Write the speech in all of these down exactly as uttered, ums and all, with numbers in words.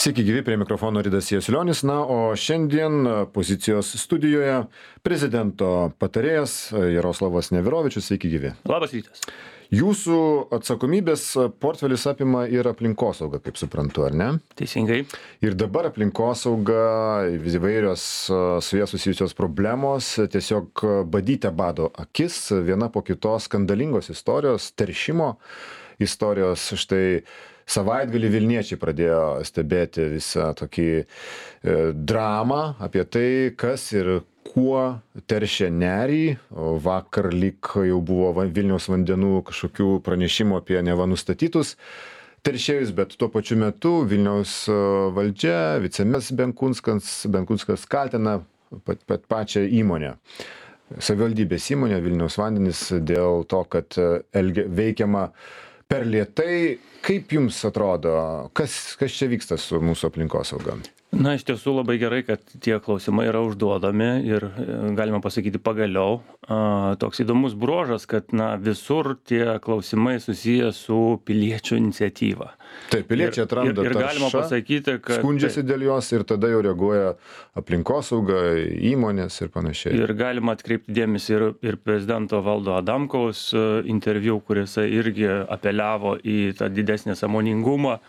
Sveiki gyvi, prie mikrofono Ridas Jasulionis. Na, o šiandien pozicijos studijoje prezidento patarėjas Jaroslavas Neverovičius. Sveiki gyvi. Labas rytas. Jūsų atsakomybės portfelis apima ir aplinkosaugą, kaip suprantu, ar ne? Teisingai. Ir dabar aplinkosauga, įvairios su jie susijusios problemos tiesiog badyte bado akis, viena po kitos skandalingos istorijos, teršimo istorijos. Štai savaitgalį Vilniečiai pradėjo stebėti visą tokį e, dramą apie tai, kas ir kuo teršia nerį. Vakar lyg jau buvo Vilniaus vandenų kažkokių pranešimų apie neva nustatytus teršėjus, bet tuo pačiu metu Vilniaus valdžia, vicemeras Benkunskas, Benkunskas kaltina pat, pat pačią įmonę. Savivaldybės įmonė Vilniaus vandenys dėl to, kad elgia, veikiama per lėtai. Kaip jums atrodo, kas, kas čia vyksta su mūsų aplinkosauga? Na, iš tiesų labai gerai, kad tie klausimai yra užduodami ir galima pasakyti pagaliau. A, toks įdomus bruožas, kad na, visur tie klausimai susiję su piliečių iniciatyva. Taip, piliečiai atranda ir, ir, ir galima taršą, pasakyti, kad skundžiasi dėl jos ir tada jau reaguoja aplinkosauga, įmonės ir panašiai. Ir galima atkreipti dėmesį ir, ir prezidento Valdo Adamkaus interviu, kuris irgi apeliavo į tą didesnį sąmoningumą.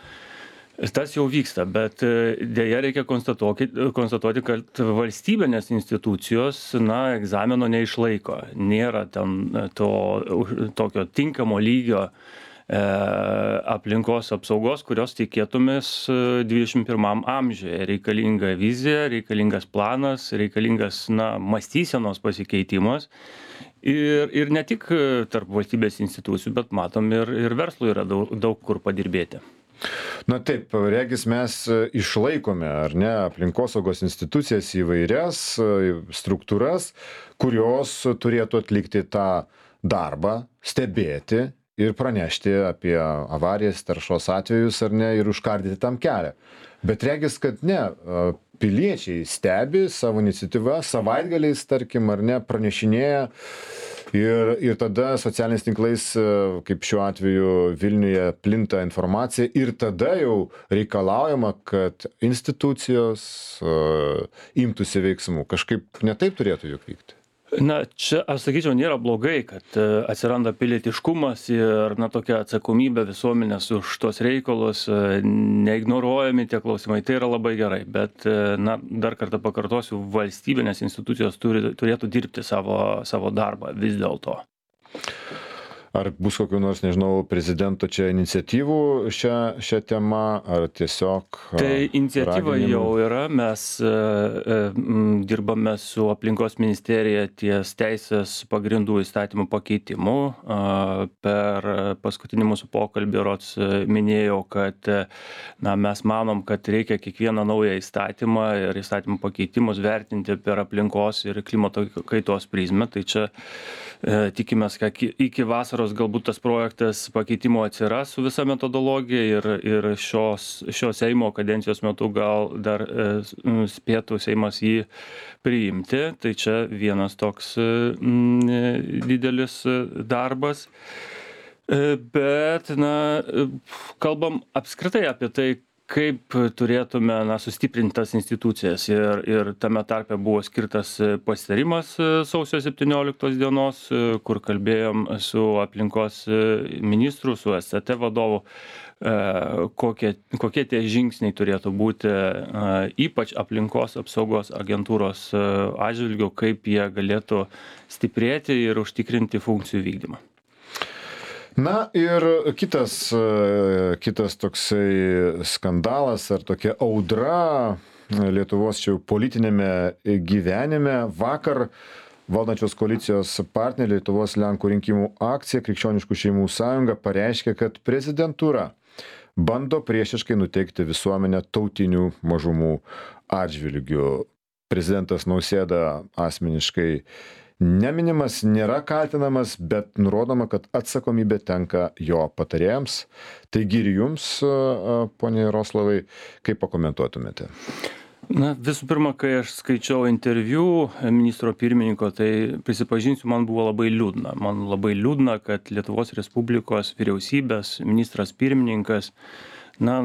Tas jau vyksta, bet dėja reikia konstatuoti, konstatuoti, kad valstybinės institucijos na, egzamino neišlaiko. Nėra ten to tokio tinkamo lygio e, aplinkos apsaugos, kurios tikėtumės dvidešimt pirmam amžiuje. Reikalinga vizija, reikalingas planas, reikalingas na, mąstysenos pasikeitimas. Ir, ir ne tik tarp valstybės institucijų, bet matom ir, ir verslui yra daug, daug kur padirbėti. Na taip, regis mes išlaikome, ar ne, aplinkosaugos institucijas įvairias struktūras, kurios turėtų atlikti tą darbą, stebėti ir pranešti apie avarijas, taršos atvejus, ar ne, ir užkardyti tam kelią. Bet regis, kad ne, piliečiai stebi savo iniciatyvą, savaitgaliais, tarkim, ar ne, pranešinėja. Ir, ir tada socialiniais tinklais, kaip šiuo atveju Vilniuje, plinta informacija ir tada jau reikalaujama, kad institucijos uh, imtųsi veiksmų. Kažkaip netaip turėtų juk vykti. Na, čia, aš sakyčiau, nėra blogai, kad atsiranda pilietiškumas ir na, tokia atsakomybė visuomenės už tos reikalus, neignoruojami tie klausimai, tai yra labai gerai. Bet, na, dar kartą pakartosiu, valstybinės institucijos turi, turėtų dirbti savo, savo darbą vis dėlto. Ar bus kokių nors, nežinau, prezidento čia iniciatyvų šią, šią temą, ar tiesiog... Tai iniciatyva raginimų? Jau yra, mes e, e, dirbame su aplinkos ministerija ties teisės pagrindų įstatymų pakeitimu. E, per paskutinį mūsų pokalbį rods minėjau, kad na, mes manom, kad reikia kiekvieną naują įstatymą ir įstatymų pakeitimus vertinti per aplinkos ir klimato kaitos prizmę. Tai čia e, tikimės, kad iki vasaros galbūt tas projektas pakeitimo atsiras su visa metodologija ir, ir šios, šios Seimo kadencijos metu gal dar e, spėtų Seimas jį priimti. Tai čia vienas toks m, didelis darbas. E, bet, na, kalbam apskritai apie tai, kaip turėtume na, sustiprinti tas institucijas. Ir, ir tame tarpe buvo skirtas pasitarimas sausio septynioliktos dienos, kur kalbėjom su aplinkos ministru, su S C T vadovu, kokie, kokie tie žingsniai turėtų būti, ypač aplinkos apsaugos agentūros atžvilgiu, kaip jie galėtų stiprėti ir užtikrinti funkcijų vykdymą. Na ir kitas, kitas toksai skandalas ar tokia audra Lietuvos čia politinėme gyvenime. Vakar valdančios koalicijos partneriai Lietuvos Lenkų rinkimų akcija Krikščioniškų šeimų sąjunga pareiškė, kad prezidentūra bando priešiškai nuteikti visuomenę tautinių mažumų atžvilgių. Prezidentas Nausėda asmeniškai neminimas, nėra kaltinamas, bet nurodoma, kad atsakomybė tenka jo patarėjams. Taigi ir jums, ponia Jaroslavai, kaip pakomentuotumėte? Na, visų pirma, kai aš skaičiau interviu ministro pirmininko, tai prisipažinsiu, man buvo labai liūdna. Man labai liūdna, kad Lietuvos Respublikos vyriausybės ministras pirmininkas na,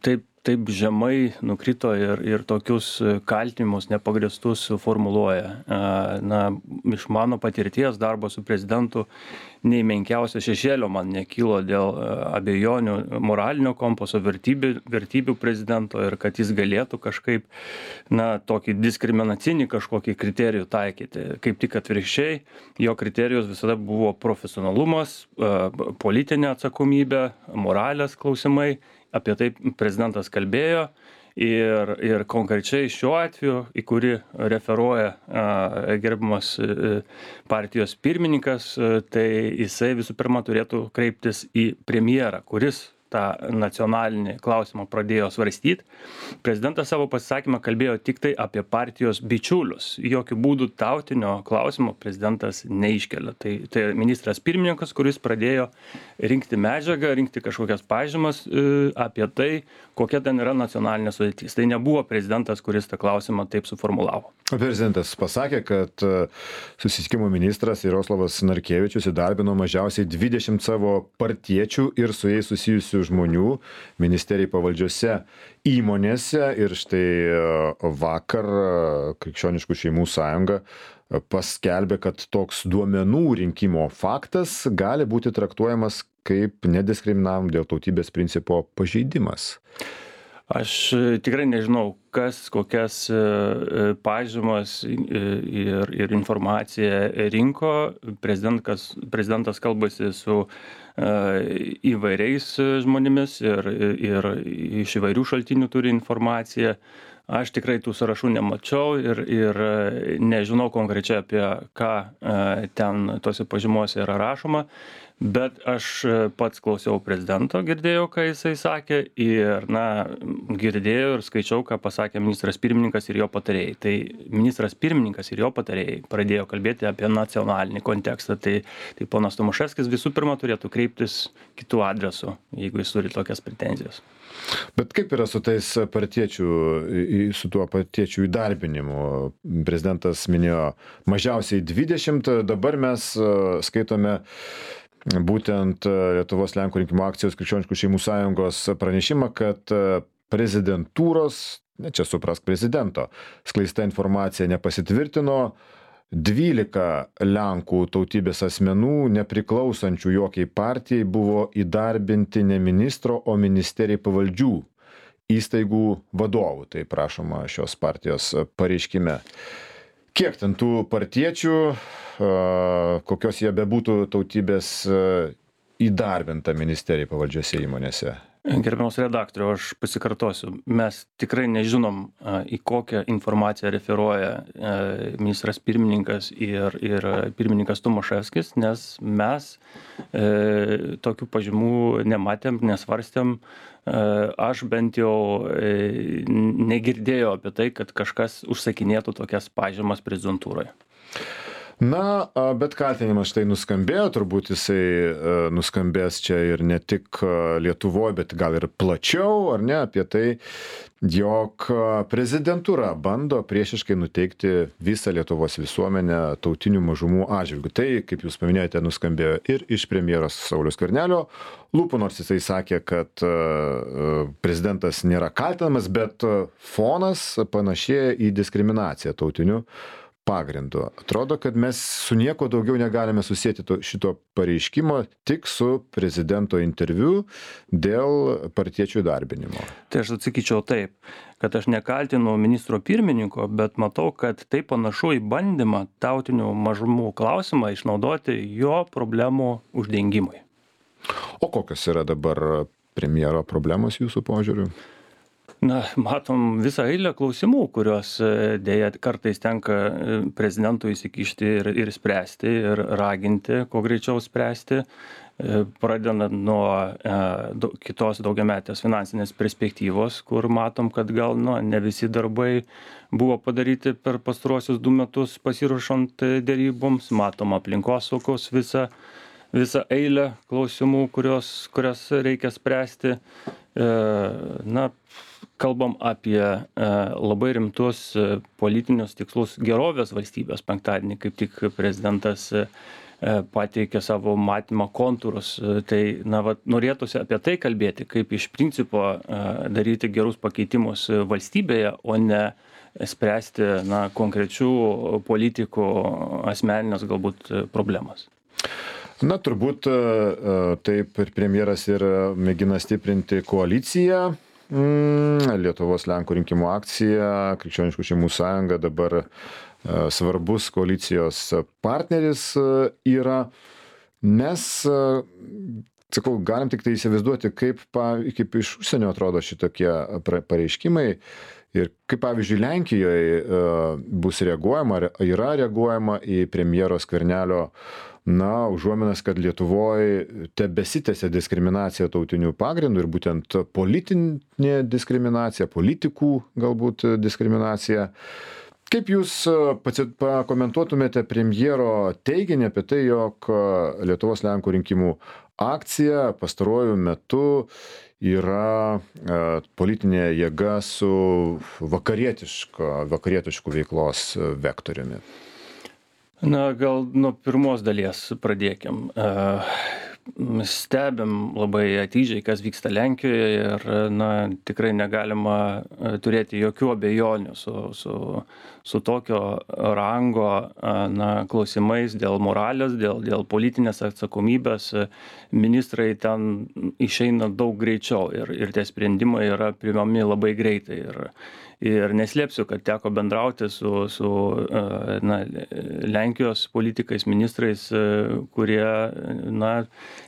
taip taip žemai nukrito ir, ir tokius kaltinimus nepagrįstus formuluoja. Na, iš mano patirties darbo su prezidentu nei menkiausio šešėlio man nekilo dėl abejonių moralinio kompaso vertybių, vertybių prezidento ir kad jis galėtų kažkaip, na, tokį diskriminacinį kažkokį kriterijų taikyti. Kaip tik atvirkščiai, jo kriterijus visada buvo profesionalumas, politinė atsakomybė, moralės klausimai. Apie tai prezidentas kalbėjo ir, ir konkrečiai šiuo atveju, į kurį referuoja a, gerbiamas a, partijos pirmininkas, a, tai jisai visų pirma turėtų kreiptis į premjerą, kuris tą nacionalinį klausimą pradėjo svarstyti. Prezidentas savo pasisakymą kalbėjo tik tai apie partijos bičiulius. Jokių būdų tautinio klausimo prezidentas neiškelia. Tai, tai ministras pirmininkas, kuris pradėjo rinkti medžiagą, rinkti kažkokias pažymas e, apie tai, kokia ten yra nacionalinė sudėtis. Tai nebuvo prezidentas, kuris tą klausimą taip suformulavo. Prezidentas pasakė, kad susisiekimo ministras Jaroslavas Narkevičius įdarbino mažiausiai dvidešimt savo partiečių ir su jais susijusių žmonių ministerijai pavaldžiose įmonėse. Ir štai vakar Krikščioniškų šeimų sąjunga paskelbė, kad toks duomenų rinkimo faktas gali būti traktuojamas kaip nediskriminavimo dėl tautybės principo pažeidimas. Aš tikrai nežinau, kas kokias pažymas ir, ir informaciją rinko. Prezidentas, prezidentas kalbasi su įvairiais žmonėmis ir, ir iš įvairių šaltinių turi informaciją. Aš tikrai tų sąrašų nemačiau ir, ir nežinau konkrečiai apie ką ten tose pažymose yra rašoma. Bet aš pats klausiau prezidento, girdėjau, ką jisai sakė ir, na, girdėjau ir skaičiau, ką pasakė ministras pirmininkas ir jo patarėjai. Tai ministras pirmininkas ir jo patarėjai pradėjo kalbėti apie nacionalinį kontekstą. Tai, tai ponas Tomaševskis visų pirma turėtų kreiptis kitų adresų, jeigu jis turi tokias pretenzijas. Bet kaip yra su tais partiečių, su tuo partiečių įdarbinimu? Prezidentas minėjo mažiausiai dvidešimt, dabar mes skaitome būtent Lietuvos Lenkų rinkimų akcijos Krikščioniškų šeimų sąjungos pranešimą, kad prezidentūros, ne čia suprask prezidento, skleista informacija nepasitvirtino, dvylika Lenkų tautybės asmenų, nepriklausančių jokiai partijai, buvo įdarbinti ne ministro, o ministerijai pavaldžių įstaigų vadovų. Tai prašoma šios partijos pareiškime. Kiek ten tų partiečių, kokios jie bebūtų tautybės, įdarbinta ministerijai pavaldžiose įmonėse? Gerbiamas redaktoriau, aš pasikartosiu. Mes tikrai nežinom, į kokią informaciją referuoja ministras pirmininkas ir, ir pirmininkas Tomaševskis, nes mes e, tokių pažymų nematėm, nesvarstėm. Aš bent jau negirdėjau apie tai, kad kažkas užsakinėtų tokias pažymas prezidentūroje. Na, bet kaltinimas štai nuskambėjo, turbūt jisai nuskambės čia ir ne tik Lietuvoje, bet gal ir plačiau, ar ne, apie tai, jog prezidentūra bando priešiškai nuteikti visą Lietuvos visuomenę tautinių mažumų atžvilgiu. Tai, kaip jūs paminėjote, nuskambėjo ir iš premjeros Sauliaus Skvernelio lūpų, nors jisai sakė, kad prezidentas nėra kaltinamas, bet fonas panašėja į diskriminaciją tautinių pagrindu. Atrodo, kad mes su nieko daugiau negalime susėti to, šito pareiškimo, tik su prezidento interviu dėl partiečių įdarbinimo. Tai aš atsakyčiau taip, kad aš nekaltinu ministro pirmininko, bet matau, kad tai panašu į bandymą tautinių mažumų klausimą išnaudoti jo problemų uždengimui. O kokios yra dabar premjero problemos jūsų požiūriu? Na, matom visą eilę klausimų, kuriuos dėja kartais tenka prezidentui įsikišti ir, ir spręsti, ir raginti, kuo greičiau spręsti, pradedant nuo e, kitos daugiametės finansinės perspektyvos, kur matom, kad gal nu, ne visi darbai buvo padaryti per pastaruosius du metus pasiruošant deryboms, matom aplinkosaugos visą, visą eilę klausimų, kurios, kurias reikia spręsti. E, na, kalbam apie labai rimtus politinius tikslus gerovės valstybės. Penktadienį kaip tik prezidentas pateikė savo matymo kontūrus. Tai na, va, norėtųsi apie tai kalbėti, kaip iš principo daryti gerus pakeitimus valstybėje, o ne spręsti na, konkrečių politikų asmeninės galbūt problemas. Na, turbūt taip ir premjeras ir mėgina stiprinti koaliciją. Lietuvos Lenkų rinkimų akcija, Krikščioniškų šeimų sąjunga dabar svarbus koalicijos partneris yra. Mes, sakau, galim tik tai įsivaizduoti, kaip, kaip iš užsienio atrodo šitokie pareiškimai ir kaip, pavyzdžiui, Lenkijoje bus reaguojama, yra reaguojama į premjero Skvernelio na, užuominas, kad Lietuvoje tebesitęsia diskriminacija tautinių pagrindų ir būtent politinė diskriminacija, politikų galbūt diskriminacija. Kaip jūs pakomentuotumėte premjero teiginį apie tai, jog Lietuvos Lenkų rinkimų akcija pastaruoju metu yra politinė jėga su vakarietišku veiklos vektoriumi? Na, gal nuo pirmos dalies pradėkim. Stebim labai atidžiai, kas vyksta Lenkijoje ir na, tikrai negalima turėti jokių abejonių su, su, su tokio rango na, klausimais dėl moralės, dėl, dėl politinės atsakomybės. Ministrai ten išeina daug greičiau ir, ir tie sprendimai yra priimami labai greitai. Ir, Ir neslėpsiu, kad teko bendrauti su, su na, Lenkijos politikais, ministrais, kurie na,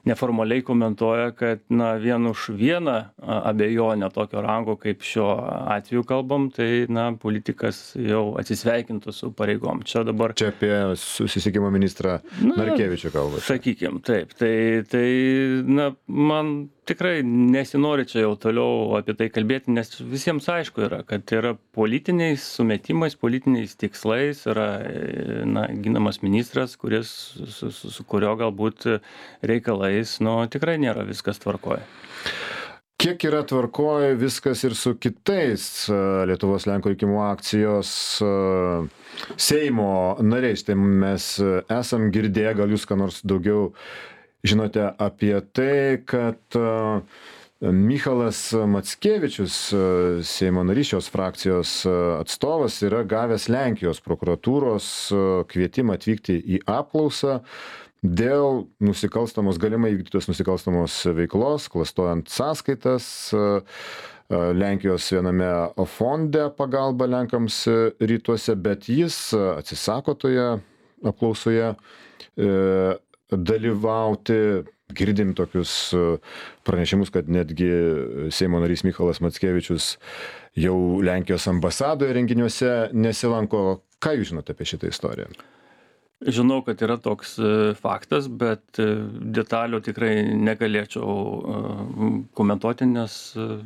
neformaliai komentuoja, kad na, vien už vieną abejonę tokio rango, kaip šiuo atveju kalbam, tai na, politikas jau atsisveikintų su pareigom. Čia dabar... Čia apie susisiekimo ministrą Narkevičių kalbate. Sakykim, taip. Tai, tai na, man tikrai nesinori čia jau toliau apie tai kalbėti, nes visiems aišku yra, kad yra politiniais sumetimais, politiniais tikslais yra na, ginamas ministras, kuris, su, su, su kurio galbūt reikalais nu, tikrai nėra viskas tvarkoje. Kiek yra tvarkoje viskas ir su kitais Lietuvos Lenkų rinkimų akcijos Seimo nariais? Tai mes esam girdėję, gal jūs ką nors daugiau žinote apie tai, kad Michalas Mackevičius, Seimo narys šios frakcijos atstovas, yra gavęs Lenkijos prokuratūros kvietimą atvykti į apklausą dėl nusikalstamos, galimai įvykdytos nusikalstamos veiklos, klastojant sąskaitas Lenkijos viename fonde pagalba Lenkams rytuose, bet jis atsisako toje apklausoje dalyvauti. Girdim tokius pranešimus, kad netgi Seimo narys Michalas Mackevičius jau Lenkijos ambasadoje renginiuose nesilanko. Ką jūs žinote apie šitą istoriją? Žinau, kad yra toks faktas, bet detalių tikrai negalėčiau komentuoti, nes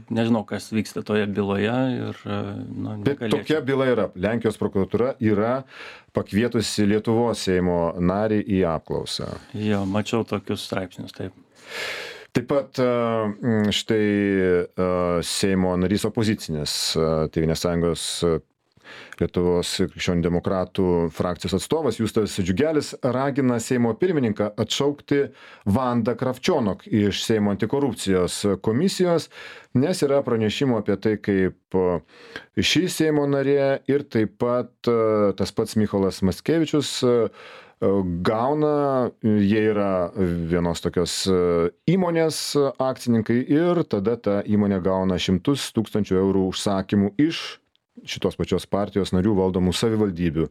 nežinau, kas vyksta toje byloje. Ir, nu, bet tokia byla yra. Lenkijos prokuratūra yra pakvietusi Lietuvos Seimo narį į apklausą. Jo, mačiau tokius straipsnius, taip. Taip pat štai Seimo narys opozicinės Tėvynės sąjungos Lietuvos krikščionių demokratų frakcijos atstovas Justas Džiugelis ragina Seimo pirmininką atšaukti Vandą Kravčionok iš Seimo antikorupcijos komisijos, nes yra pranešimų apie tai, kaip ši Seimo narė ir taip pat tas pats Michalas Mackevičius gauna, jie yra vienos tokios įmonės akcininkai ir tada ta įmonė gauna šimtus tūkstančių eurų užsakymų iš šitos pačios partijos narių valdomų savivaldybių.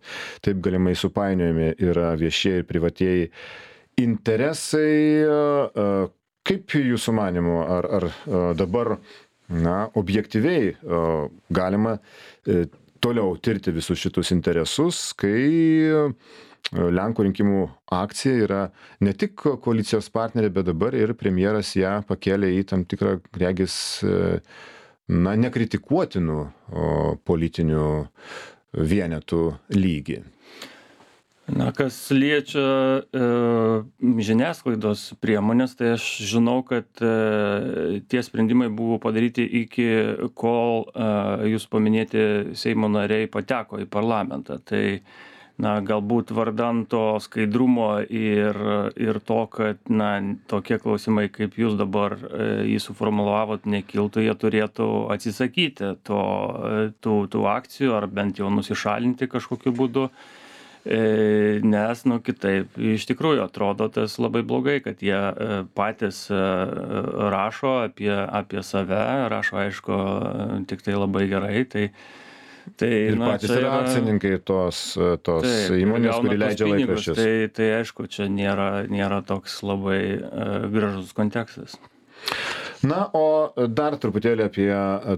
Taip galimai supainiojami yra viešieji ir privatieji interesai. Kaip jūsų manymu, ar, ar dabar na, objektyviai galima toliau tirti visus šitus interesus, kai Lenkų rinkimų akcija yra ne tik koalicijos partnerė, bet dabar ir premjeras ją pakėlė į tam tikrą, regis, na, nekritikuotinų politinių vienetų lygį? Na, kas liečia e, žiniasklaidos priemonės, tai aš žinau, kad e, tie sprendimai buvo padaryti iki kol e, jūs paminėti Seimo nariai pateko į parlamentą. Tai na, galbūt vardan to skaidrumo ir, ir to, kad na, tokie klausimai, kaip jūs dabar e, jį suformulavot, nekiltų, jie turėtų atsisakyti to, tų, tų akcijų ar bent jau nusišalinti kažkokiu būdu. Nes, nu, kitaip, iš tikrųjų atrodo tas labai blogai, kad jie patys rašo apie, apie save, rašo, aišku, tik tai labai gerai. Tai, tai, ir na, patys yra akcininkai tos, tos taip, įmonės, kuri leidžia laikraščius. Tai, tai aišku, čia nėra, nėra toks labai uh, gražus kontekstas. Na, o dar truputėlį apie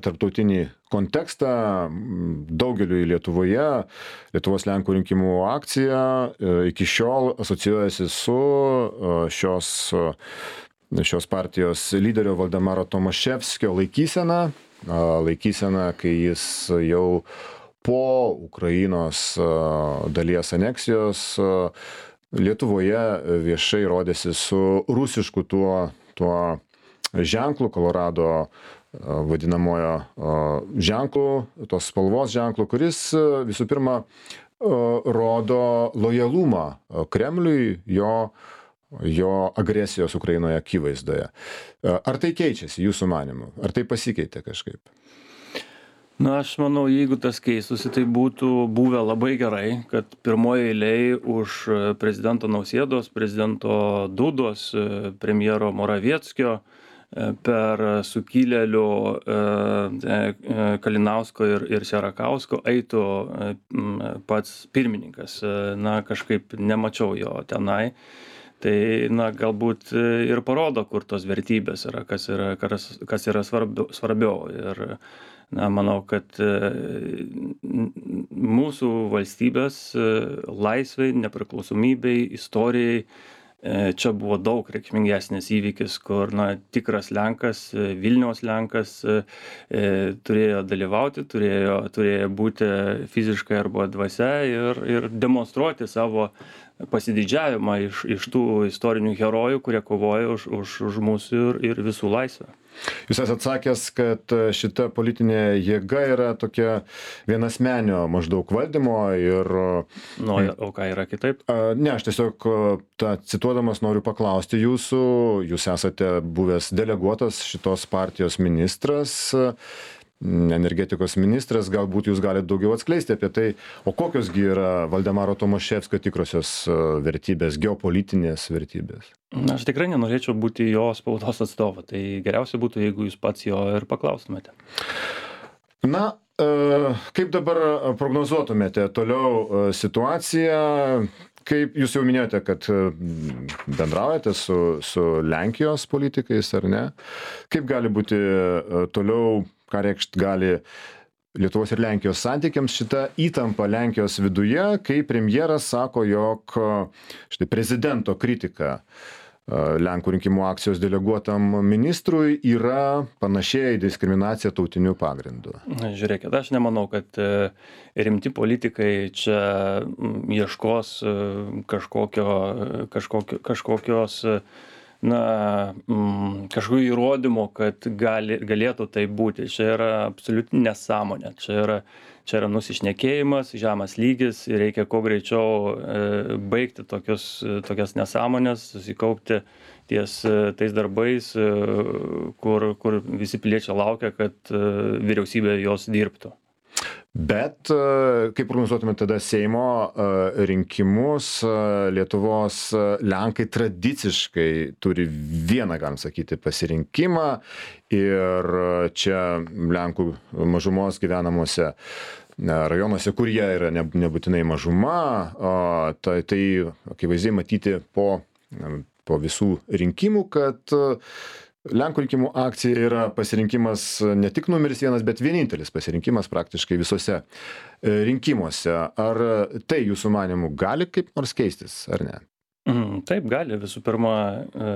tarptautinį kontekstą. Daugeliui Lietuvoje Lietuvos Lenkų rinkimų akcija iki šiol asocijuojasi su šios, šios partijos lyderio Valdemaro Tomaševskio laikysena. Laikysena, kai jis jau po Ukrainos dalies aneksijos Lietuvoje viešai rodėsi su rusišku tuo, tuo ženklų, Kolorado vadinamojo ženklų, tos spalvos ženklų, kuris visų pirma rodo lojalumą Kremliui, jo, jo agresijos Ukrainoje akivaizdoje. Ar tai keičiasi jūsų manymu? Ar tai pasikeitė kažkaip? Na, aš manau, jeigu tas keistųsi, tai būtų buvę labai gerai, kad pirmoje eilėje už prezidento Nausėdos, prezidento Dudos, premjero Moravieckio, per sukilėlių Kalinausko ir, ir Sierakausko eitų pats pirmininkas. Na, kažkaip nemačiau jo tenai. Tai, na, galbūt ir parodo, kur tos vertybės yra, kas yra, kas, kas yra svarbiau, svarbiau. Ir, na, manau, kad mūsų valstybės laisvai, nepriklausomybei, istorijai čia buvo daug reikšmingesnis įvykis, kur, na, tikras Lenkas, Vilniaus Lenkas turėjo dalyvauti, turėjo, turėjo būti fiziškai arba dvasia ir, ir demonstruoti savo pasididžiavimą iš, iš tų istorinių herojų, kurie kovoja už, už, už mūsų ir, ir visų laisvę. Jūs esate sakęs, kad šita politinė jėga yra tokia vienasmenio maždaug valdymo ir... Nu, o ką yra kitaip? Ne, aš tiesiog tą cituodamas noriu paklausti jūsų, jūs esate buvęs deleguotas šitos partijos ministras, energetikos ministras, galbūt jūs galite daugiau atskleisti apie tai, o kokiosgi yra Valdemaro Tomaševskio tikrosios vertybės, geopolitinės vertybės? Na, aš tikrai nenorėčiau būti jo spaudos atstovu, tai geriausia būtų, jeigu jūs pats jo ir paklaustumėte. Na, kaip dabar prognozuotumėte toliau situaciją? Kaip jūs jau minėjote, kad bendraujate su, su Lenkijos politikais, ar ne? Kaip gali būti toliau, ką reikšt gali Lietuvos ir Lenkijos santykiams šita įtampa Lenkijos viduje, kai premjeras sako, jog štai prezidento kritika Lenkų rinkimų akcijos deleguotam ministrui yra panašiai į diskriminaciją tautiniu pagrindu? Žiūrėkit, aš nemanau, kad rimti politikai čia ieškos kažkokio, kažkokio, kažkokios, na, kažkokių įrodymų, kad gali, galėtų tai būti. Čia yra absoliuti nesąmonė. Čia yra, čia yra nusišnekėjimas, žemas lygis ir reikia kuo greičiau e, baigti tokius, tokias nesąmonės, susikaupti ties tais darbais, e, kur, kur visi piliečiai laukia, kad e, vyriausybė jos dirbtų. Bet kaip prognozuotumėte tada Seimo rinkimus, Lietuvos Lenkai tradiciškai turi vieną, galim sakyti, pasirinkimą ir čia Lenkų mažumos gyvenamuose rajonuose, kur jie yra nebūtinai mažuma, tai, tai akivaizdžiai matyti po, po visų rinkimų, kad Lenkų rinkimų akcija yra pasirinkimas ne tik numeris vienas, bet vienintelis pasirinkimas praktiškai visose rinkimuose. Ar tai jūsų manimų gali kaip nors keistis, ar ne? Mhm, taip gali. Visų pirma, e,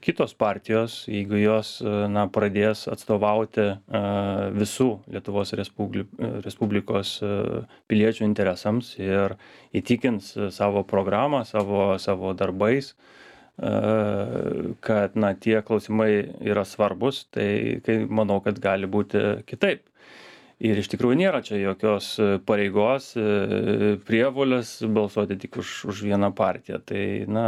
kitos partijos, jeigu jos e, na, pradės atstovauti e, visų Lietuvos Respubli Respublikos e, piliečių interesams ir įtikins savo programą, savo, savo darbais, e, kad na, tie klausimai yra svarbus, tai kai, manau, kad gali būti kitaip. Ir iš tikrųjų nėra čia jokios pareigos, e, prievolės balsuoti tik už, už vieną partiją. Tai, na,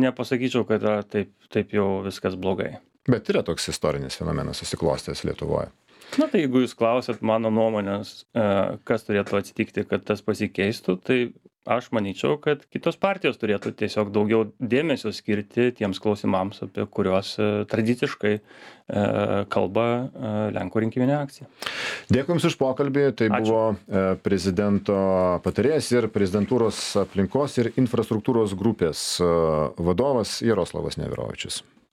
nepasakyčiau, kad yra taip, taip jau viskas blogai. Bet yra toks istorinis fenomenas susiklostęs Lietuvoje. Na, tai jeigu jūs klausėt mano nuomonės, e, kas turėtų atsitikti, kad tas pasikeistų, tai aš manyčiau, kad kitos partijos turėtų tiesiog daugiau dėmesio skirti tiems klausimams, apie kuriuos e, tradiciškai e, kalba e, Lenkų rinkiminė akcija. Dėkui Jums už pokalbį. Tai Ačiū. buvo e, prezidento patarėjas ir prezidentūros aplinkos ir infrastruktūros grupės e, vadovas Jaroslavas Neverovičius.